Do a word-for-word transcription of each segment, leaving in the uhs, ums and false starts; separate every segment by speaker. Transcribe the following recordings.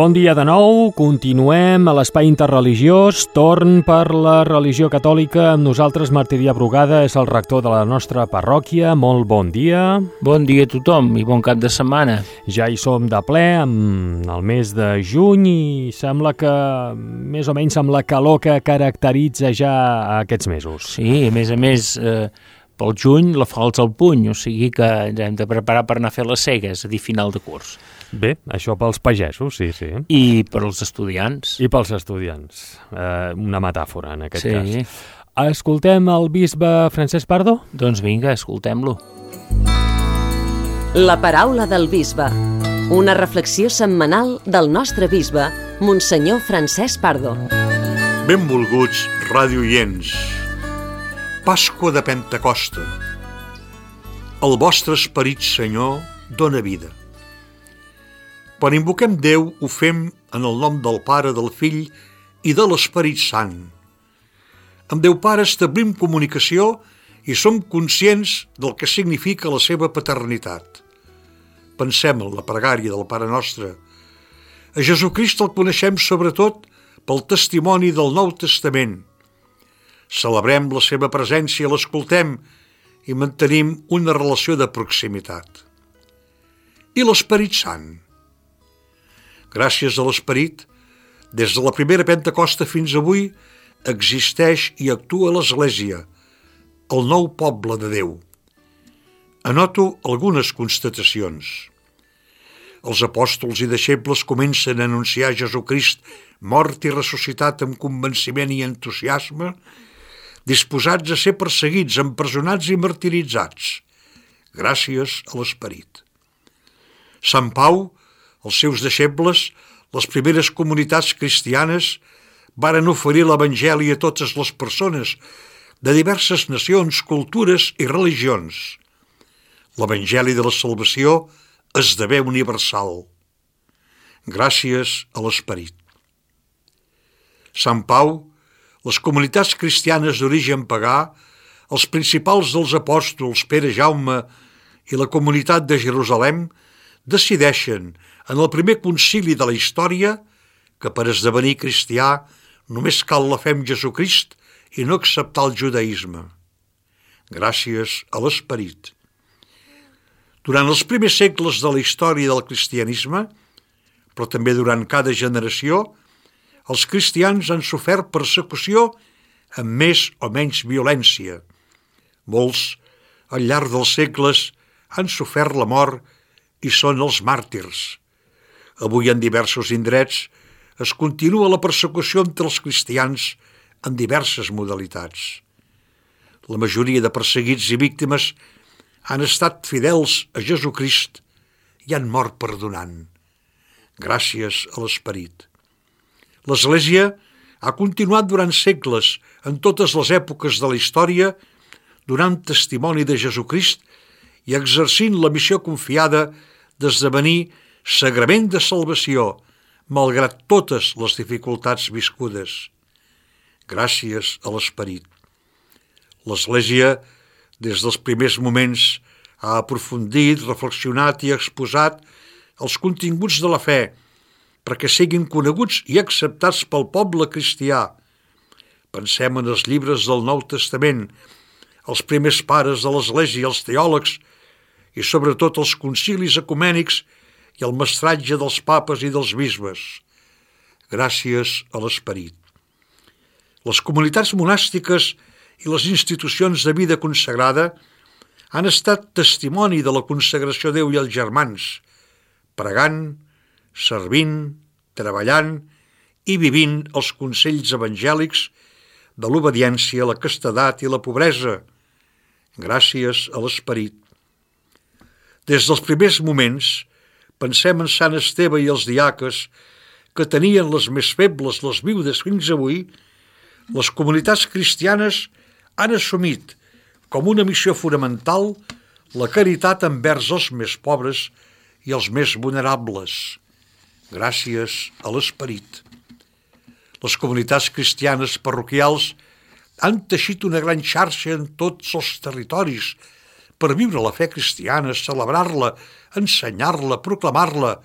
Speaker 1: Bon dia de nou, continuem a l'Espai Interreligiós, torn per la religió catòlica. Amb nosaltres Martirià Brugada, és el rector de la nostra parròquia. Molt bon dia.
Speaker 2: Bon dia a tothom i bon cap de setmana.
Speaker 1: Ja hi som de ple, amb el mes de juny, i sembla que més o menys amb la calor que caracteritza ja aquests mesos.
Speaker 2: Sí, a més a més, eh, pel juny la falç al puny, o sigui que ens hem de preparar per anar a fer les cegues, a dir, final de curs.
Speaker 1: Bé, això pels pagesos, sí, sí.
Speaker 2: I per als estudiants.
Speaker 1: I pels estudiants. Eh, una metàfora, en aquest
Speaker 2: sí.
Speaker 1: cas. Escoltem el bisbe Francesc Pardo?
Speaker 2: Doncs vinga, escoltem-lo.
Speaker 3: La paraula del bisbe. Una reflexió setmanal del nostre bisbe, Monsenyor Francesc Pardo.
Speaker 4: Benvolguts radioients. Pasqua de Pentecosta. El vostre esperit, Senyor, dóna vida. Quan invoquem Déu, ho fem en el nom del Pare, del Fill i de l'Esperit Sant. Amb Déu Pare establim comunicació i som conscients del que significa la seva paternitat. Pensem en la pregària del Pare Nostre. A Jesucrist el coneixem sobretot pel testimoni del Nou Testament. Celebrem la seva presència, l'escoltem i mantenim una relació de proximitat. I l'Esperit Sant? Gràcies a l'Esperit, des de la primera Pentecosta fins avui, existeix i actua l'Església, el nou poble de Déu. Anoto algunes constatacions. Els apòstols i deixebles comencen a anunciar Jesucrist mort i ressuscitat amb convenciment i entusiasme, disposats a ser perseguits, empresonats i martiritzats, gràcies a l'Esperit. Sant Pau, els seus deixebles, les primeres comunitats cristianes, varen oferir l'Evangeli a totes les persones de diverses nacions, cultures i religions. L'Evangeli de la salvació esdevé universal, gràcies a l'Esperit. Sant Pau, les comunitats cristianes d'origen pagà, els principals dels apòstols, Pere, Jaume i la comunitat de Jerusalem, decideixen en el primer concili de la història que per esdevenir cristià només cal la fe en Jesucrist i no acceptar el judaïsme. Gràcies a l'Esperit. Durant els primers segles de la història del cristianisme, però també durant cada generació, els cristians han sofert persecució amb més o menys violència. Molts, al llarg dels segles, han sofert la mort i són els màrtirs. Avui en diversos indrets es continua la persecució entre els cristians en diverses modalitats. La majoria de perseguits i víctimes han estat fidels a Jesucrist i han mort perdonant, gràcies a l'Esperit. L'Església ha continuat durant segles, en totes les èpoques de la història, donant testimoni de Jesucrist i exercint la missió confiada d'esdevenir sagrament de salvació, malgrat totes les dificultats viscudes. Gràcies a l'Esperit. L'Església, des dels primers moments, ha aprofundit, reflexionat i exposat els continguts de la fe perquè siguin coneguts i acceptats pel poble cristià. Pensem en els llibres del Nou Testament, els primers pares de l'Església, els teòlegs i sobretot els concilis ecumènics i el mestratge dels papes i dels bisbes. Gràcies a l'Esperit. Les comunitats monàstiques i les institucions de vida consagrada han estat testimoni de la consagració a Déu i als germans, pregant, servint, treballant i vivint els consells evangèlics de l'obediència, la castedat i la pobresa. Gràcies a l'Esperit. Des dels primers moments, pensem en Sant Esteve i els diaques que tenien les més febles, les viudes fins avui, les comunitats cristianes han assumit com una missió fonamental la caritat envers els més pobres i els més vulnerables. Gràcies a l'Esperit. Les comunitats cristianes parroquials han teixit una gran xarxa en tots els territoris per viure la fe cristiana, celebrar-la, ensenyar-la, proclamar-la,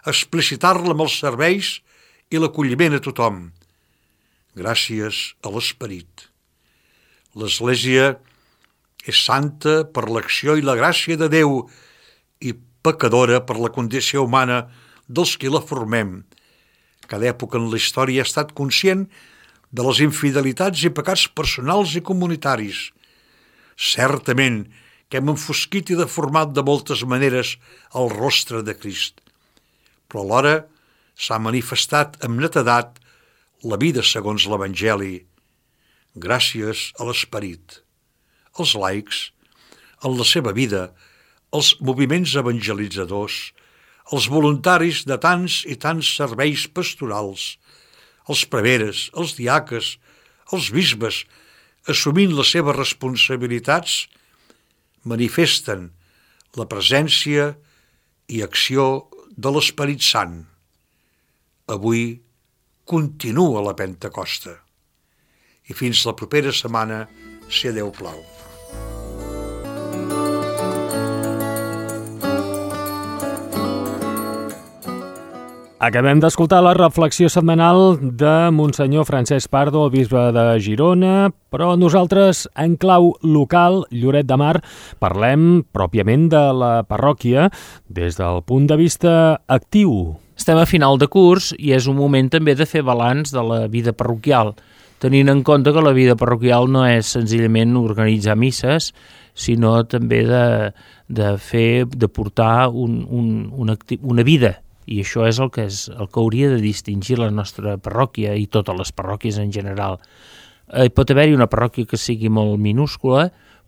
Speaker 4: explicitar-la amb els serveis i l'acolliment a tothom, gràcies a l'Esperit. L'Església és santa per l'acció i la gràcia de Déu i pecadora per la condició humana dels qui la formem. Cada època en la història ha estat conscient de les infidelitats i pecats personals i comunitaris. Certament que hem enfosquit i deformat de moltes maneres el rostre de Crist, però alhora s'ha manifestat amb netedat la vida segons l'Evangeli, gràcies a l'Esperit. Els laics, en la seva vida, els moviments evangelitzadors, els voluntaris de tants i tants serveis pastorals, els preveres, els diaques, els bisbes, assumint les seves responsabilitats, manifesten la presència i acció de l'Esperit Sant. Avui continua la Pentecosta. I fins la propera setmana, si a Déu plau.
Speaker 1: Acabem d'escoltar la reflexió setmanal de Monsenyor Francesc Pardo, el bisbe de Girona, però nosaltres, en clau local, Lloret de Mar, parlem pròpiament de la parròquia des del punt de vista actiu.
Speaker 2: Estem a final de curs i és un moment també de fer balanç de la vida parroquial, tenint en compte que la vida parroquial no és senzillament organitzar misses, sinó també de, de fer, de portar un, un, una, una vida. I això és el que és el que hauria de distingir la nostra parròquia i totes les parròquies en general. Eh, pot haver-hi una parròquia que sigui molt minúscula,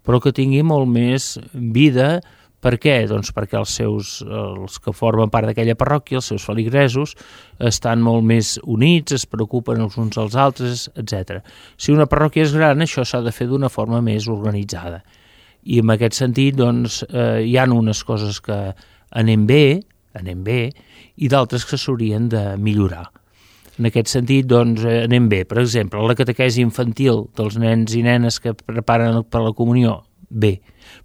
Speaker 2: però que tingui molt més vida. Per què? Doncs perquè els seus, els que formen part d'aquella parròquia, els seus feligresos, estan molt més units, es preocupen els uns als altres, etcètera. Si una parròquia és gran, això s'ha de fer d'una forma més organitzada. I en aquest sentit, doncs, eh, hi ha unes coses que anem bé, anem bé, i d'altres que s'haurien de millorar. En aquest sentit, doncs, anem bé. Per exemple, la catequesi infantil dels nens i nenes que preparen per la comunió, bé.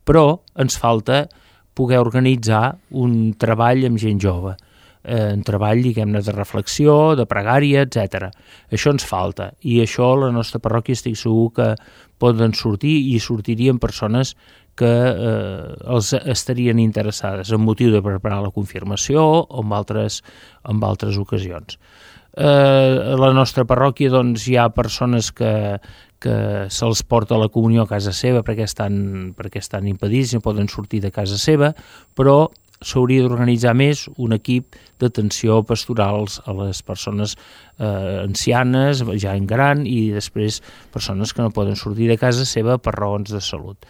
Speaker 2: Però ens falta poder organitzar un treball amb gent jove, eh, un treball, diguem-ne, de reflexió, de pregària, etcètera. Això ens falta, i això la nostra parròquia estic segur que poden sortir i sortirien persones que eh, els estarien interessades amb motiu de preparar la confirmació o en altres, en altres ocasions. Eh, a la nostra parròquia doncs, hi ha persones que, que se'ls porta la comunió a casa seva perquè estan, perquè estan impedits i no poden sortir de casa seva, però s'hauria d'organitzar més un equip d'atenció pastorals a les persones eh, ancianes, ja en gran, i després persones que no poden sortir de casa seva per raons de salut.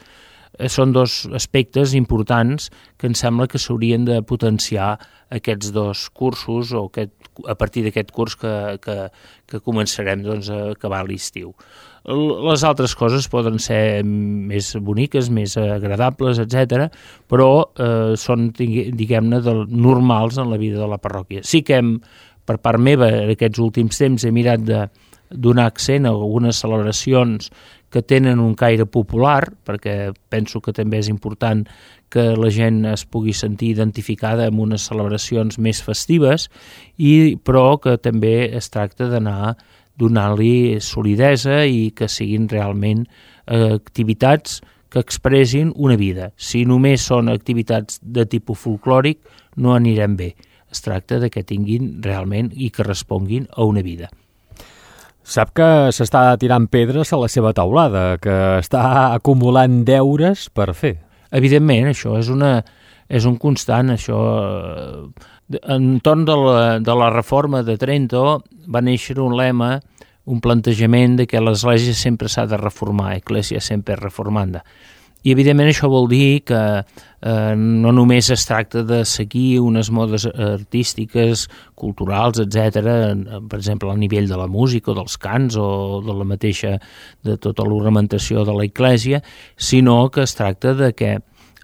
Speaker 2: Són dos aspectes importants que em sembla que s'haurien de potenciar aquests dos cursos o aquest, a partir d'aquest curs que, que, que començarem doncs, a acabar l'estiu. Les altres coses poden ser més boniques, més agradables, etcètera, però eh, són, diguem-ne, normals en la vida de la parròquia. Sí que hem, per part meva, en aquests últims temps he mirat de donar accent a algunes celebracions que tenen un caire popular, perquè penso que també és important que la gent es pugui sentir identificada amb unes celebracions més festives, i, però que també es tracta d'anar donant-li solidesa i que siguin realment eh, activitats que expressin una vida. Si només són activitats de tipus folclòric, no anirem bé. Es tracta de que tinguin realment i que responguin a una vida.
Speaker 1: Sap que s'està tirant pedres a la seva taulada, que està acumulant deures per fer.
Speaker 2: Evidentment, això és, una, és un constant. Això, entorn de la, de la reforma de Trento va néixer un lema, un plantejament de que l'Església sempre s'ha de reformar, Ecclesia sempre reformanda. I, evidentment, això vol dir que eh, no només es tracta de seguir unes modes artístiques, culturals, etcètera, per exemple, al nivell de la música o dels cants o de la mateixa, de tota l'ornamentació de l'Església, sinó que es tracta de que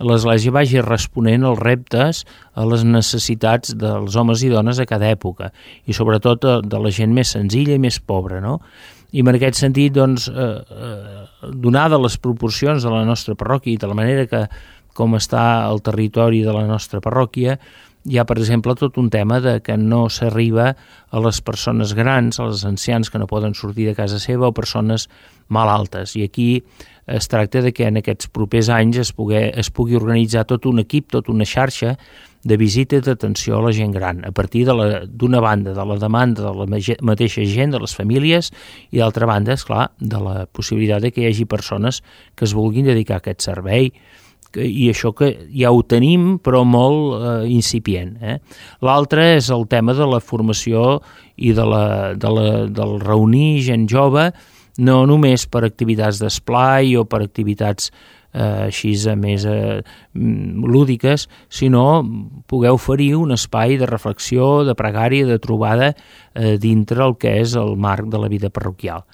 Speaker 2: l'Església vagi responent als reptes, a les necessitats dels homes i dones a cada època, i sobretot de la gent més senzilla i més pobra, no? I en aquest sentit, doncs, eh, eh, donada les proporcions de la nostra parròquia i de la manera que com està el territori de la nostra parròquia, hi ha, per exemple, tot un tema de que no s'arriba a les persones grans, als ancians que no poden sortir de casa seva o persones malaltes. I aquí es tracta de que en aquests propers anys es pugui, es pugui organitzar tot un equip, tota una xarxa de visita i d'atenció a la gent gran, a partir d'una banda de la demanda de la mateixa gent, de les famílies, i d'altra banda, esclar, de la possibilitat de que hi hagi persones que es vulguin dedicar a aquest servei, i això que ja ho tenim però molt eh, incipient. Eh? L'altre és el tema de la formació i de la, de la, del reunir gent jove, no només per activitats d'esplai o per activitats eh, així més eh, lúdiques, sinó poder oferir un espai de reflexió, de pregària, de trobada eh, dintre el que és el marc de la vida parroquial.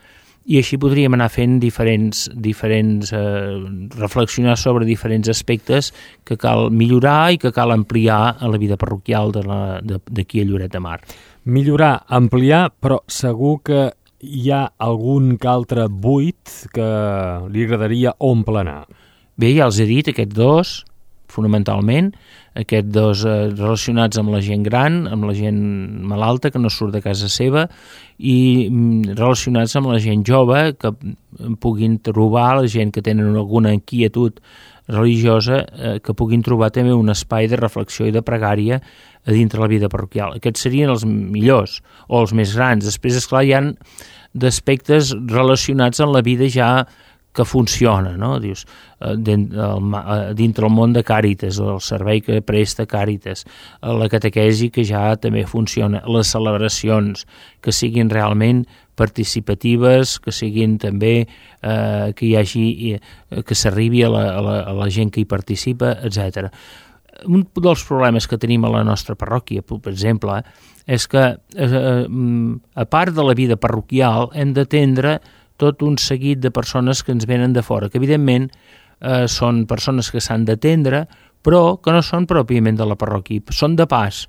Speaker 2: I així podríem anar fent diferents, diferents eh, reflexionar sobre diferents aspectes que cal millorar i que cal ampliar a la vida parroquial d'aquí a Lloret de Mar.
Speaker 1: Millorar, ampliar, però segur que hi ha algun que altre buit que li agradaria omplenar.
Speaker 2: Bé, ja els he dit, aquests dos, fonamentalment, aquests dos eh, relacionats amb la gent gran, amb la gent malalta que no surt de casa seva, i mm, relacionats amb la gent jove que puguin trobar, la gent que tenen alguna inquietud religiosa, eh, que puguin trobar també un espai de reflexió i de pregària a dintre la vida parroquial. Aquests serien els millors o els més grans. Després, esclar, hi ha d'aspectes relacionats amb la vida ja que funciona, no? Dius, dintre el món de Càritas, el servei que presta Càritas, la catequesi que ja també funciona, les celebracions que siguin realment participatives, que siguin també eh, que hi hagi, que s'arribi a, la, a, la, a la gent que hi participa, etcètera. Un dels problemes que tenim a la nostra parròquia, per exemple, és que eh, a part de la vida parroquial hem d'atendre tot un seguit de persones que ens venen de fora, que evidentment eh, són persones que s'han d'atendre, però que no són pròpiament de la parròquia, són de pas,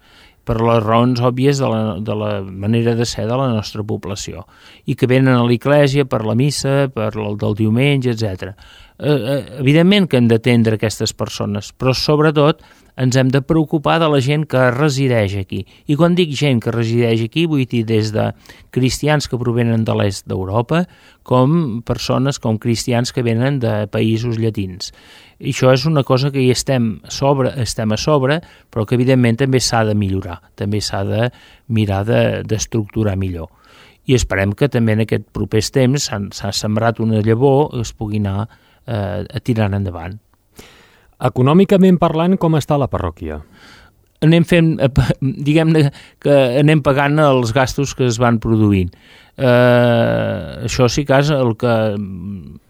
Speaker 2: per les raons òbvies de la, de la manera de ser de la nostra població, i que venen a l'església per la missa, per el del diumenge, etcètera. Eh, evidentment que hem d'atendre aquestes persones, però sobretot ens hem de preocupar de la gent que resideix aquí. I quan dic gent que resideix aquí, vull dir des de cristians que provenen de l'est d'Europa, com persones, com cristians que venen de països llatins. I això és una cosa que hi estem, sobre, estem a sobre, però que evidentment també s'ha de millorar, també s'ha de mirar d'estructurar de, millor. I esperem que també en aquest propers temps s'ha sembrat una llavor i es pugui anar eh, tirant endavant.
Speaker 1: Econòmicament parlant, com està la parròquia?
Speaker 2: Anem fent, diguem-ne que anem pagant els gastos que es van produint. Eh, això sí que és el que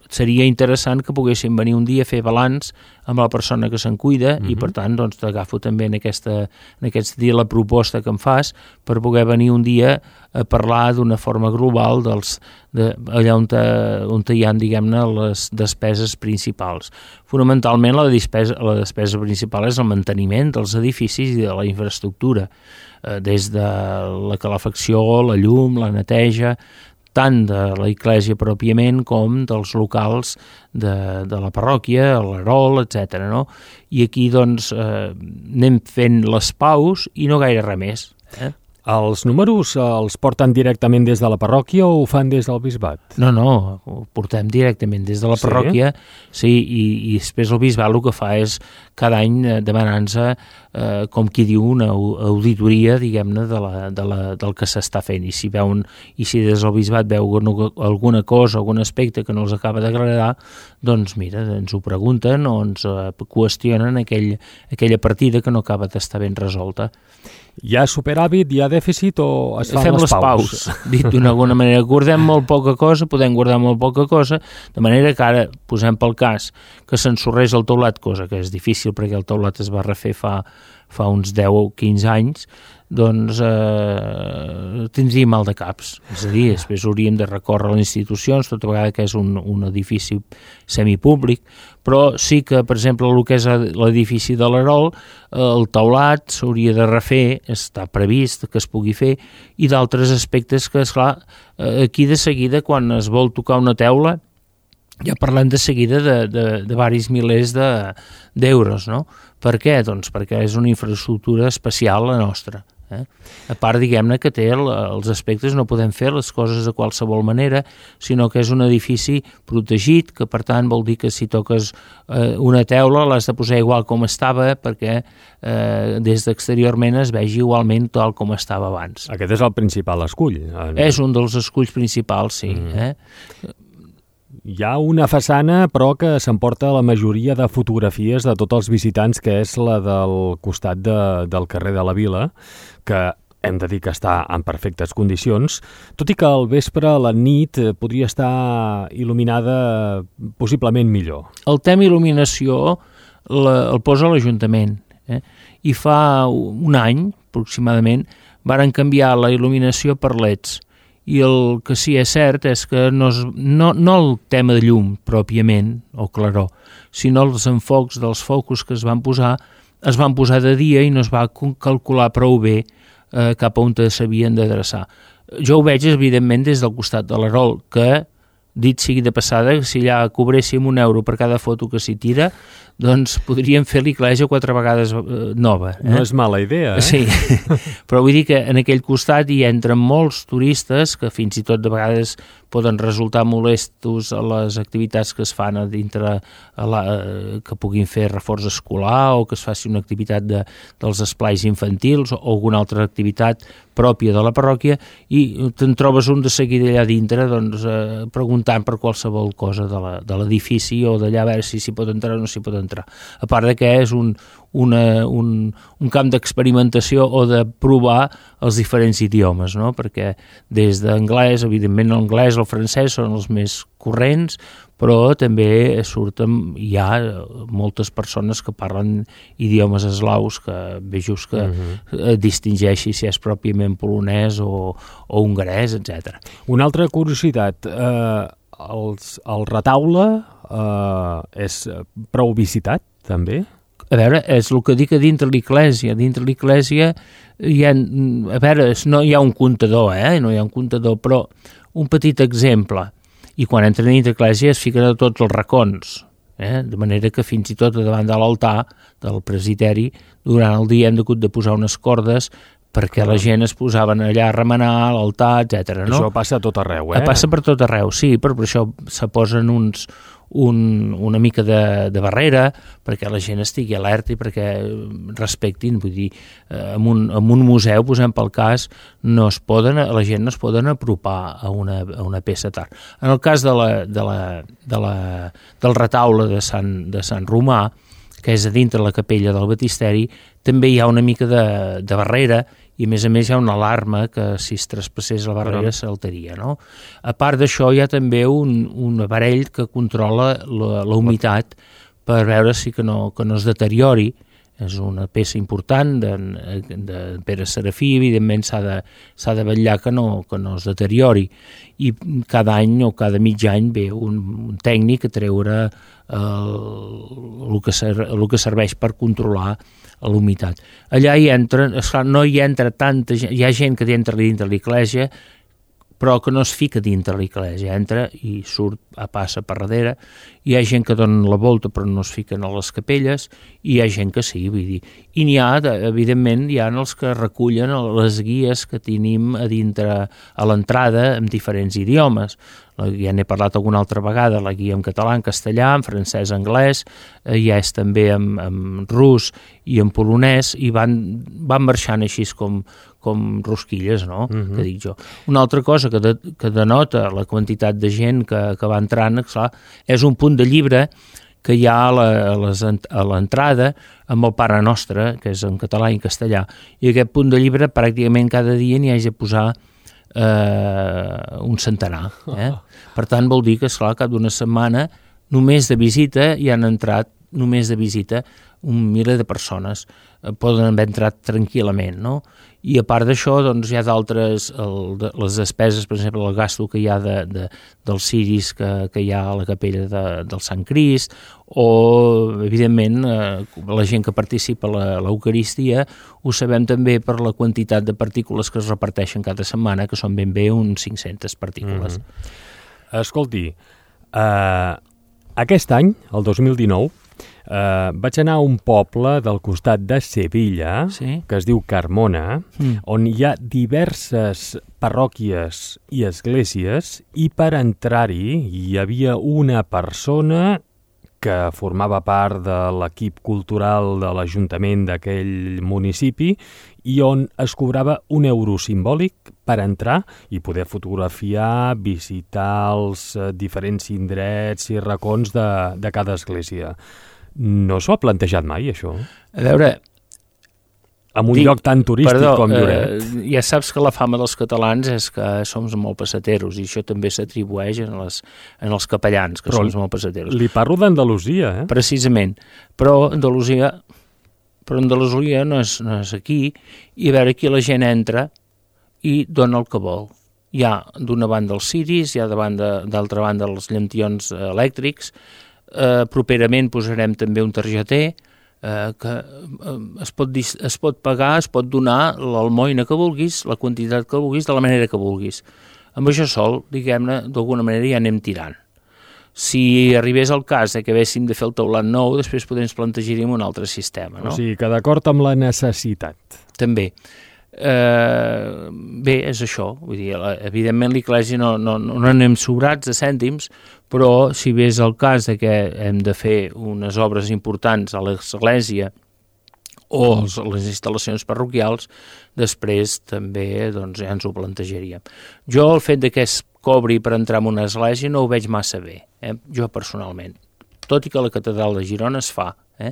Speaker 2: seria interessant que poguessin venir un dia a fer balanç amb la persona que se'n cuida, uh-huh. I per tant doncs t'agafo també en, aquesta, en aquest dia la proposta que em fas per poder venir un dia a parlar d'una forma global dels, de, allà on, te, on te hi ha, diguem-ne, les despeses principals. Fonamentalment la despesa, la despesa principal és el manteniment dels edificis i de la infraestructura, eh, des de la calefacció, la llum, la neteja, tant de la església pròpiament com dels locals de, de la parròquia, l'Erol, etcètera. No? I aquí doncs eh, anem fent les paus i no gaire res més. Eh?
Speaker 1: Els números els porten directament des de la parròquia o ho fan des del bisbat?
Speaker 2: No, no, ho portem directament des de la parròquia, sí, sí i, i després el bisbat el que fa és cada any demanar-nos, eh, com qui diu, una auditoria, diguem-ne, de la, de la, del que s'està fent. I si, veuen, I si des del bisbat veu alguna cosa, algun aspecte que no els acaba d'agradar, doncs mira, ens ho pregunten o ens eh, qüestionen aquell, aquella partida que no acaba d'estar ben resolta.
Speaker 1: Hi ha superàvit, hi ha dèficit o es fan
Speaker 2: Fem
Speaker 1: les,
Speaker 2: les paus? paus. Dit d'una alguna manera, guardem molt poca cosa, podem guardar molt poca cosa, de manera que ara posem pel cas que s'ensorreix el teulat, cosa que és difícil perquè el teulat es va refer fa, fa uns deu o quinze anys, doncs eh, tindríem mal de caps. És a dir, després hauríem de recórrer a les institucions, tota vegada que és un, un edifici semipúblic, però sí que, per exemple, el que és l'edifici de l'Erol, el teulat s'hauria de refer, està previst que es pugui fer, i d'altres aspectes que, esclar, aquí de seguida, quan es vol tocar una teula, ja parlem de seguida de, de, de varis milers de, d'euros, no? Per què? Doncs perquè és una infraestructura especial la nostra. Eh? A part, diguem-ne, que té el, els aspectes, no podem fer les coses de qualsevol manera, sinó que és un edifici protegit, que per tant vol dir que si toques eh, una teula l'has de posar igual com estava, perquè eh, des d'exteriorment es vegi igualment tal com estava abans.
Speaker 1: Aquest és el principal escull. En...
Speaker 2: És un dels esculls principals, sí. Mm. Eh?
Speaker 1: Hi ha una façana, però, que s'emporta la majoria de fotografies de tots els visitants, que és la del costat de, del carrer de la Vila, que hem de dir que està en perfectes condicions, tot i que al vespre, a la nit, podria estar il·luminada possiblement millor.
Speaker 2: El tema il·luminació la, el posa l'Ajuntament, eh? I fa un any, aproximadament, varen canviar la il·luminació per leds. I el que sí és cert és que no, és, no, no el tema de llum pròpiament, o claror, sinó els enfocs dels focus que es van posar, es van posar de dia i no es va calcular prou bé eh, cap a on s'havien d'adreçar. Jo ho veig, evidentment, des del costat de l'Erol, que, dit sigui de passada, si allà cobréssim un euro per cada foto que s'hi tira, doncs podríem fer l'Iclesia quatre vegades eh, nova. Eh?
Speaker 1: No és mala idea, eh?
Speaker 2: Sí, però vull dir que en aquell costat hi entren molts turistes que fins i tot de vegades poden resultar molestos a les activitats que es fan a dintre, a la, que puguin fer reforç escolar o que es faci una activitat de, dels esplais infantils o alguna altra activitat pròpia de la parròquia i te'n trobes un de seguida allà dintre doncs, eh, preguntant per qualsevol cosa de l'edifici o d'allà a veure si s'hi pot entrar o no s'hi pot entrar. A part de que és un, una, un, un camp d'experimentació o de provar els diferents idiomes, no? Perquè des d'anglès, evidentment l'anglès, el francès són els més corrents, però també surten, hi ha moltes persones que parlen idiomes eslaus que bé just que uh-huh. distingeixi si és pròpiament polonès o, o hongarès, etcètera.
Speaker 1: Una altra curiositat, eh, els, el retaule eh, és prou visitat, també?
Speaker 2: A veure, és el que dic a dintre l'Iclèsia. Dintre l'Iclèsia hi ha, a veure, no hi ha un comptador, eh? No hi ha un comptador, però un petit exemple. I quan entren dintre l'Iclèsia es fiquen a tots els racons, eh? De manera que fins i tot davant de l'altar del presbiteri, durant el dia hem hagut de posar unes cordes perquè la gent es posaven allà a remenar a l'altar, etcètera. No?
Speaker 1: Això passa a tot arreu, eh?
Speaker 2: Passa per tot arreu, sí, però per això se posen uns, un, una mica de, de barrera perquè la gent estigui alerta i perquè respectin, vull dir, en un, en un museu, posem pel cas, no es poden, la gent no es poden apropar a una, a una peça tard. En el cas de la, de la, de la, del retaule de Sant, de Sant Romà, que és a dintre la capella del Baptisteri, també hi ha una mica de, de barrera i a més a més hi ha una alarma que si es traspassés la barrera saltaria, no? A part d'això hi ha també un, un aparell que controla la, la humitat per veure si que no, que no es deteriori. És una peça important de, de Pere Serafí, evidentment s'ha de, s'ha de vetllar que no, que no es deteriori i cada any o cada mig any ve un, un tècnic a treure el, el, que ser, el que serveix per controlar l'humitat. Allà hi entra, esclar, no hi entra tanta gent, hi ha gent que entra dintre l'Iclèsia però que no es fica dintre l'Iclèsia, entra i surt a passa per darrere, hi ha gent que dona la volta però no es fiquen a les capelles, i hi ha gent que sí, vull dir. I n'hi ha, evidentment, hi ha els que recullen les guies que tenim a dintre, a l'entrada, en diferents idiomes. Ja n'he parlat alguna altra vegada, la guia en català, en castellà, en francès, anglès, ja és també en, en rus i en polonès, i van, van marxant així com, com rosquilles, no?, uh-huh. que dic jo. Una altra cosa que, de, que denota la quantitat de gent que, que va entrant, clar, és un punt de llibre que hi ha a, la, a, les, a l'entrada amb el Pare Nostre, que és en català i en castellà, i aquest punt de llibre pràcticament cada dia n'hi hagi de posar eh, un centenar. Eh? Per tant, vol dir que, esclar, cap d'una setmana, només de visita hi han entrat, només de visita, un miler de persones eh, poden haver entrat tranquil·lament, no? I a part d'això, doncs, hi ha d'altres, el, de, les despeses, per exemple, el gasto que hi ha de, de, dels ciris que, que hi ha a la capella de, del Sant Crist, o, evidentment, eh, la gent que participa a l'Eucaristia, ho sabem també per la quantitat de partícules que es reparteixen cada setmana, que són ben bé uns cinc-centes partícules.
Speaker 1: Mm-hmm. Escolti, Uh, aquest any, el dos mil dinou, uh, vaig anar a un poble del costat de Sevilla,
Speaker 2: sí?
Speaker 1: que es diu Carmona,
Speaker 2: Mm.
Speaker 1: on hi ha diverses parròquies i esglésies, i per entrar-hi hi havia una persona que formava part de l'equip cultural de l'Ajuntament d'aquell municipi i on es cobrava un euro simbòlic per entrar i poder fotografiar, visitar els eh, diferents indrets i racons de, de cada església. No s'ho ha plantejat mai, això?
Speaker 2: A veure...
Speaker 1: En un
Speaker 2: Dic,
Speaker 1: lloc tan turístic
Speaker 2: perdó,
Speaker 1: com Lloret.
Speaker 2: Eh, ja saps que la fama dels catalans és que som molt passateros, i això també s'atribueix en, les, en els capellans, que
Speaker 1: Però
Speaker 2: som molt passateros.
Speaker 1: Li parlo d'Andalusia, eh?
Speaker 2: Precisament. Però Andalusia, però Andalusia no és, no és aquí, i a veure, aquí la gent entra i dona el que vol. Hi ha d'una banda els ciris, hi ha d'altra banda els llantions elèctrics, eh, properament posarem també un targeter, Eh, que eh, es, pot dis, es pot pagar, es pot donar l'almoina que vulguis, la quantitat que vulguis, de la manera que vulguis. Amb això sol, diguem-ne, d'alguna manera ja anem tirant. Si arribés el cas de que haguéssim de fer el teulat nou, després podem plantejar-hi un altre sistema, no?
Speaker 1: O sigui, que d'acord amb la necessitat.
Speaker 2: També. Eh, bé, és això. Vull dir, evidentment l'Església no, no, no anem sobrats de cèntims, però si bé és el cas de que hem de fer unes obres importants a l'Església o els, les instal·lacions parroquials, després també doncs, ja ens ho plantejaríem. Jo el fet de que es cobri per entrar en una església no ho veig massa bé, eh? Jo personalment, tot i que la catedral de Girona es fa, eh?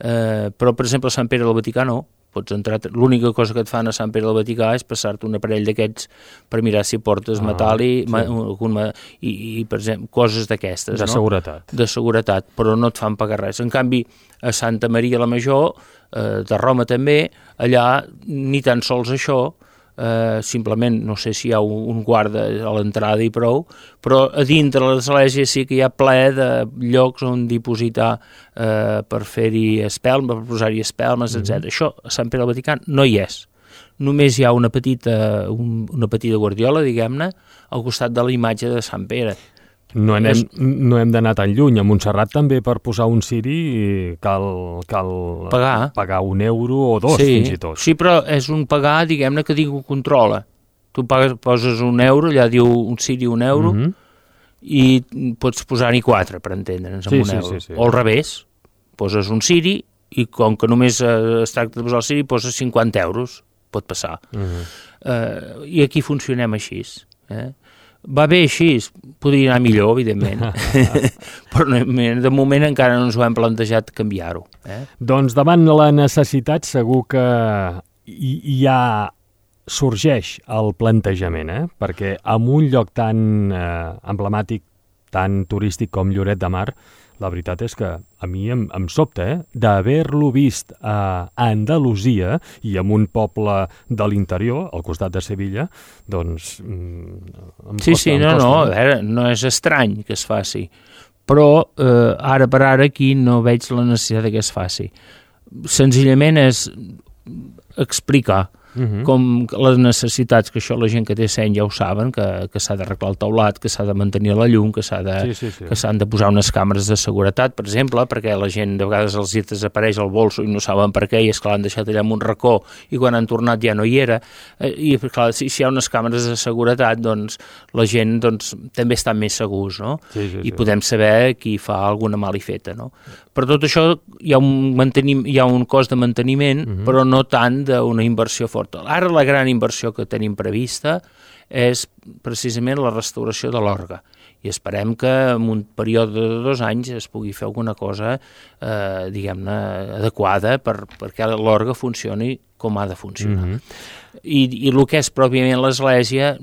Speaker 2: Eh, però per exemple a Sant Pere del Vaticà no. Pots entrar, l'única cosa que et fan a Sant Pere del Vaticà és passar-te un aparell d'aquests per mirar si portes ah, metall i, sí. ma, un, i, i per exemple, coses d'aquestes.
Speaker 1: De
Speaker 2: no?
Speaker 1: seguretat.
Speaker 2: De seguretat, però no et fan pagar res. En canvi, a Santa Maria la Major, eh, de Roma també, allà ni tan sols això, eh, simplement no sé si hi ha un, un guarda a l'entrada i prou, però a dintre l'església sí que hi ha ple de llocs on dipositar eh, per fer-hi espelmes, per posar-hi espelmes, mm-hmm. etcètera. Això a Sant Pere del Vaticà no hi és. Només hi ha una petita, un, una petita guardiola, diguem-ne, al costat de la imatge de Sant Pere.
Speaker 1: No anem, és... no hem d'anar tan lluny. A Montserrat també per posar un ciri cal, cal
Speaker 2: pagar.
Speaker 1: pagar un euro o dos,
Speaker 2: sí,
Speaker 1: fins i tot.
Speaker 2: Sí, però és un pagar, diguem-ne, que ningú controla. Tu pagues, poses un euro, allà diu un ciri un euro, mm-hmm. i pots posar-hi quatre, per entendre'ns, amb
Speaker 1: sí,
Speaker 2: un
Speaker 1: sí,
Speaker 2: euro.
Speaker 1: Sí, sí.
Speaker 2: O al revés, poses un ciri i com que només eh, es tracta de posar el ciri, poses cinquanta euros, pot passar. Mm-hmm. Eh, I aquí funcionem així, eh? Va bé així, podria anar millor, evidentment, però de moment encara no ens ho hem plantejat canviar-ho. Eh?
Speaker 1: Doncs davant la necessitat segur que hi, hi ha sorgeix el plantejament, eh? Perquè en un lloc tan eh, emblemàtic, tan turístic com Lloret de Mar, la veritat és que a mi em, em sobta, eh? D'haver-lo vist a Andalusia i en un poble de l'interior, al costat de Sevilla, doncs em
Speaker 2: sí,
Speaker 1: costa,
Speaker 2: sí,
Speaker 1: em
Speaker 2: no,
Speaker 1: costa.
Speaker 2: no, a veure, no és estrany que es faci, però eh, ara per ara aquí no veig la necessitat que es faci. Senzillament és explicar Uh-huh. com les necessitats, que això la gent que té seny ja ho saben, que, que s'ha d'arreglar el teulat, que s'ha de mantenir la llum, que s'ha de,
Speaker 1: sí, sí, sí.
Speaker 2: que s'han de posar unes càmeres de seguretat, per exemple, perquè la gent de vegades els hi desapareix el bolso i no saben per què, i és que l'han deixat allà en un racó i quan han tornat ja no hi era, i clar, si, si hi ha unes càmeres de seguretat, doncs la gent doncs, també està més segurs, no?
Speaker 1: Sí, sí,
Speaker 2: I
Speaker 1: sí.
Speaker 2: podem saber qui fa alguna malifeta, no? Per tot això hi ha un, mantenim, hi ha un cost de manteniment, uh-huh. però no tant d'una inversió forta. Ara la gran inversió que tenim prevista és precisament la restauració de l'orgue, i esperem que en un període de dos anys es pugui fer alguna cosa eh, diguem-ne adequada per, perquè l'orgue funcioni com ha de funcionar. Mm-hmm. I, i el que és pròpiament l'església,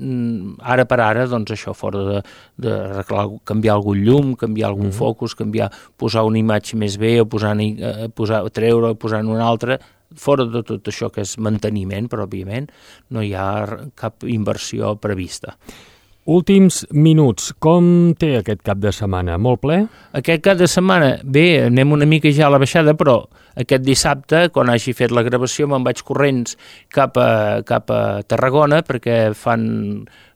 Speaker 2: ara per ara, doncs això, fora de, de arreglar, canviar algun llum, canviar algun mm-hmm. focus, canviar, posar una imatge més bé, o posar, eh, posar, treure, posar una altra, fora de tot això que és manteniment, però òbviament no hi ha cap inversió prevista.
Speaker 1: Últims minuts. Com té aquest cap de setmana? Molt ple?
Speaker 2: Aquest cap de setmana, bé, anem una mica ja a la baixada, però aquest dissabte, quan hagi fet la gravació, me'n vaig corrents cap a, cap a Tarragona, perquè fan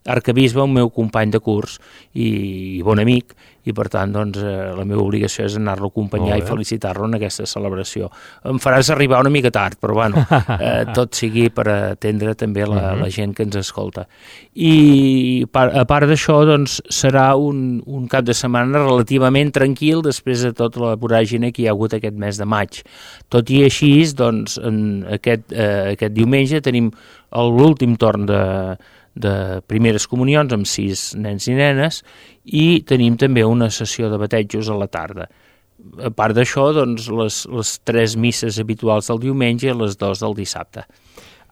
Speaker 2: Arcabisbe, un meu company de curs i, i bon amic, i per tant doncs, eh, la meva obligació és anar-lo a acompanyar i felicitar-lo en aquesta celebració. Em faràs arribar una mica tard, però bueno, eh, tot sigui per atendre també la, uh-huh. la gent que ens escolta. I a part d'això, doncs, serà un, un cap de setmana relativament tranquil després de tota la voràgine que hi ha hagut aquest mes de maig. Tot i així, doncs, en aquest, eh, aquest diumenge tenim l'últim torn de de primeres comunions amb sis nens i nenes i tenim també una sessió de batejos a la tarda. A part d'això, doncs, les, les tres misses habituals del diumenge i les dues del dissabte.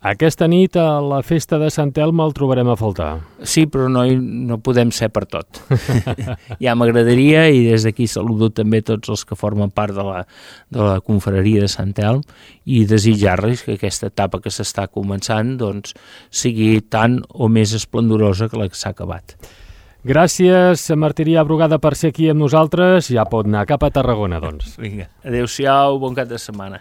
Speaker 1: Aquesta nit a la festa de Sant Elm el trobarem a faltar.
Speaker 2: Sí, però no, no podem ser per tot. Ja m'agradaria, i des d'aquí saludo també tots els que formen part de la, de la confraria de Sant Elm i desitjar-los que aquesta etapa que s'està començant doncs, sigui tan o més esplendorosa que la que s'ha acabat.
Speaker 1: Gràcies, Martirià Brugada, per ser aquí amb nosaltres. Ja pot anar cap a Tarragona, doncs.
Speaker 2: Vinga, adéu-siau, bon cap de setmana.